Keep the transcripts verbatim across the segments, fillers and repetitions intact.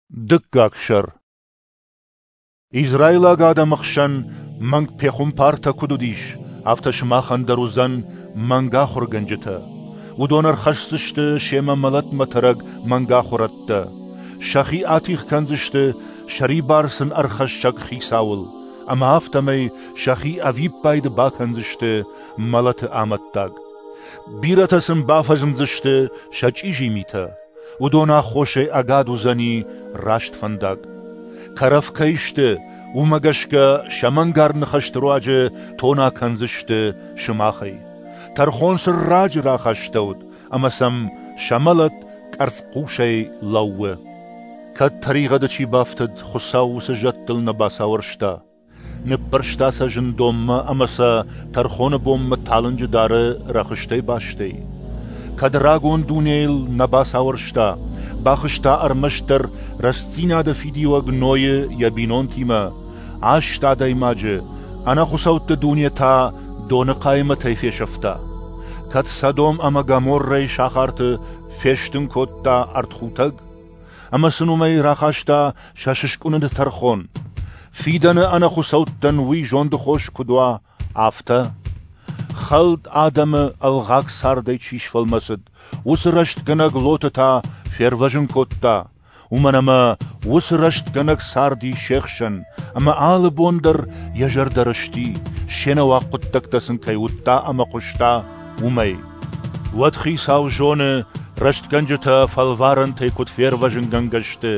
Дыккаг сӕр. Израилаг адӕмы хсӕн мӕнг пехуымпартӕ куыд уыдис, афтӕ сымахӕн дӕр уыдзӕн мӕнг ахуыргӕнджытӕ. Уыдон ӕрхӕсдзысты семӕ мӕлӕтмӕ тӕрӕг мӕнг ахуырӕдтӕ. Сӕхи атигъ кӕндзысты сӕрибар сын ӕрхӕссӕг Хицауыл, ӕмӕ афтӕмӕй сӕхи ӕвиппайды бакӕндзысты мӕлӕты амӕттаг. Бирӕтӕ сын бафӕзмдзысты сӕ чъизи митӕ. Уыдон аххосӕй ӕгад уыдзӕни раст фӕндаг. Кӕрӕф кӕй сты, уымӕ гӕсгӕ сӕ мӕнгард ныхӕсты руаджы тона кӕндзысты сымахӕй. Тӕрхон сын раджы рахастӕуыд, ӕмӕ сӕм сӕ мӕлӕт къӕрцхъусӕй лӕууы. Кӕд тӕригъӕды чи бафтыд, Хуыцау уыцы зӕдтыл нӕ бацауӕрста. Ныппӕрста сӕ зындонмӕ ӕмӕ сӕ тӕрхоны бонмӕ талынджы дары рӕхыстӕй бастӕй. Кӕд рагон дунейыл нӕ бацауӕрста, бахызта ӕрмӕстдӕр рӕстдзинады фидиуӕг Нойы йӕ бинонтимӕ, аст адӕймаджы, ӕнӕхуыцӕутты дуне та доны хъаймӕтӕй фесӕфта. Кӕд Содом ӕмӕ Гоморрӕйы сахарты фестын кодта ӕртхутӕг, ӕмӕ сын уымӕй рахаста сӕ сыскъуыныны тӕрхон, фидӕны ӕнӕхуыцӕуттӕн уый зонды хос куыд уа, афтӕ. Хӕлд адӕмы ӕлгъаг цардӕй чи сфӕлмӕцыд, уыцы рӕстгӕнӕг Лоты та фервӕзын кодта, уымӕн ӕмӕ уыцы рӕстгӕнӕг царди се хсӕн, ӕмӕ алы бон дӕр йӕ зӕрдӕ рысти, се нӕуаг хъуыддӕгтӕ сын кӕй уыдта ӕмӕ хъуыста, уымӕй. Уӕд Хицау зоны, рӕстгӕнджытӕ фӕлварӕнтӕй куыд фервӕзынгӕнгӕ сты,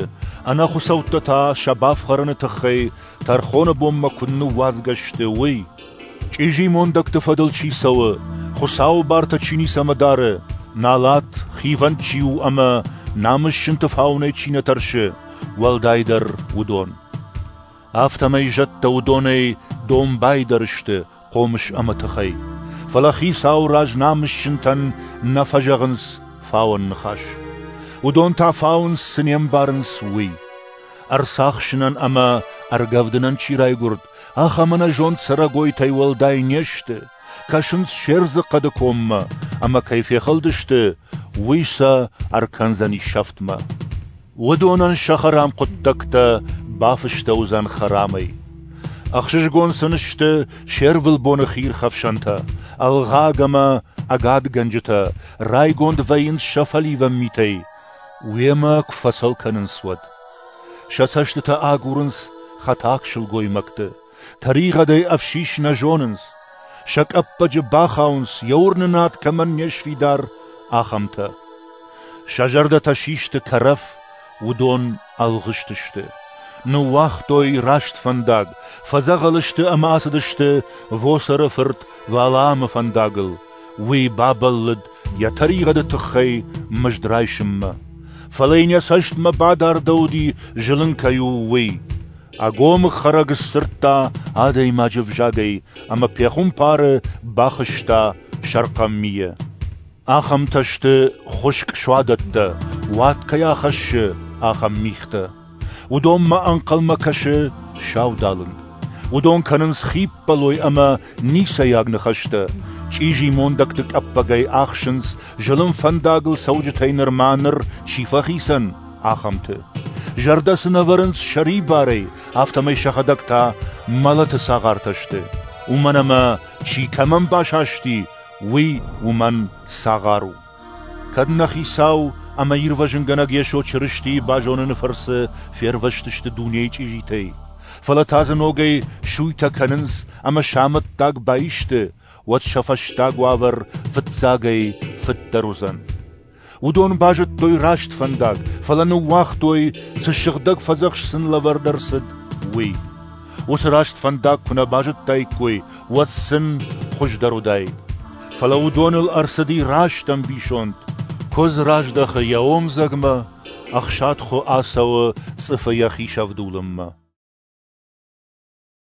ӕнӕхуыцӕуттӕ та сӕ бафхӕрыны тыххӕй тӕрхоны бонмӕ куыд ныууадзгӕ сты, уый. Чъизи мондӕгты фӕдыл чи цӕуы, Хуыцауы бартӕ чи ницӕмӕ дары, налат, хивӕнд чи у ӕмӕ намысджынты фауынӕй чи нӕ тӕрсы, уӕлдайдӕр уыдон. Афтӕмӕй зӕдтӕ уыдонӕй домбайдӕр сты хъомыс ӕмӕ тыхӕй. Фӕлӕ Хицауы раз намысджынтӕн нӕ фӕзӕгъынц фауӕн ныхас. Уыдон та фауынц, цы не мбарынц, уый. Ӕрцахсынӕн ӕмӕ ӕргӕвдынӕн чи райгуырд, ахӕм ӕнӕзонд цӕрӕгойтӕй уӕлдай не сты, кӕсынц се рдзы хъӕды коммӕ, ӕмӕ кӕй фехӕлдысты, уый сӕ ӕркӕндзӕни сӕфтмӕ. Уыдонӕн сӕ хӕрам хъуыддӕгтӕ бафыстӕуыдзӕн хӕрамӕй. Ӕхсызгон сын сты се рвылбоны хиирхӕфсӕнтӕ, ӕлгъаг ӕмӕ ӕгадгӕнджытӕ, райгонд вӕййынц сӕ фӕливӕн митӕй, уемӕ куы фӕцӕл кӕнынц, уӕд. Сӕ цӕстытӕ агурынц хӕтаг сылгоймӕгты, тӕригъӕдӕй ӕфсис нӕ зонынц. Сӕ къӕппӕджы бахауынц, йӕ уырнынад кӕмӕн не сфидар, ахӕмтӕ. Сӕ зӕрдӕтӕ систы кӕрӕф, уыдон ӕлгъыст сты. Ныууагътой раст фӕндаг, фӕдзӕгъӕл сты ӕмӕ ацыдысты Восоры фырт Валаамы фӕндагыл. Уый бабӕллыд йӕ тӕригъӕды тыххӕй мызд райсынмӕ. Фӕлӕ йын йӕ цӕстмӕ бадардӕуыди, зылын кӕй у, уый. Ӕгомыг хӕрӕг сдзырдта адӕймаджы ӕвзагӕй ӕмӕ пехуымпары бахызта сӕрхъӕн мийӕ. Ахӕмтӕ сты хуыскъ суадӕттӕ, уад кӕй ахӕссы, ахӕм мигътӕ. Уыдонмӕ ӕнхъӕлмӕ кӕсы саудалынг. Уыдон кӕнынц хиппӕлой ӕмӕ ницӕйаг ныхӕстӕ, чъизи мондӕгты къӕппӕгӕй ахсынц, зылын фӕндагыл цӕуджытӕй нырма ныр чи фӕхицӕн, ахӕмты. Зӕрдӕ сын ӕвӕрынц сӕрибарӕй, афтӕмӕй сӕхӕдӕг та мӕлӕты цагъартӕ сты, уымӕн ӕмӕ чи кӕмӕн басасти, уый уымӕн цагъар у. Кӕд нӕ Хицау ӕмӕ Ирвӕзынгӕнӕг Йесо Чырыстийы базоныны фӕрцы фервӕзтысты дунейы чъизитӕй, фӕлӕ та дзы ногӕй суйтӕ кӕнынц ӕмӕ сӕ амӕттаг баисты, уӕд сӕ фӕстаг уавӕр фыццагӕй фыддӕр уыдзӕн. Уыдон базыдтой раст фӕндаг, фӕлӕ ныууагътой, цы сыгъдӕг фӕдзӕхст сын лӕвӕрд ӕрцыд, уый. Уыцы раст фӕндаг куы нӕ базыдтаиккой, уӕд сын хуыздӕр уыдаид. Фӕлӕ уыдоныл ӕрцыди раст ӕмбисонд. Куыдз раздӕхы йӕ омдзӕгмӕ, ӕхсад хуы ацӕуы цъыфы йӕхи сӕвдулынмӕ.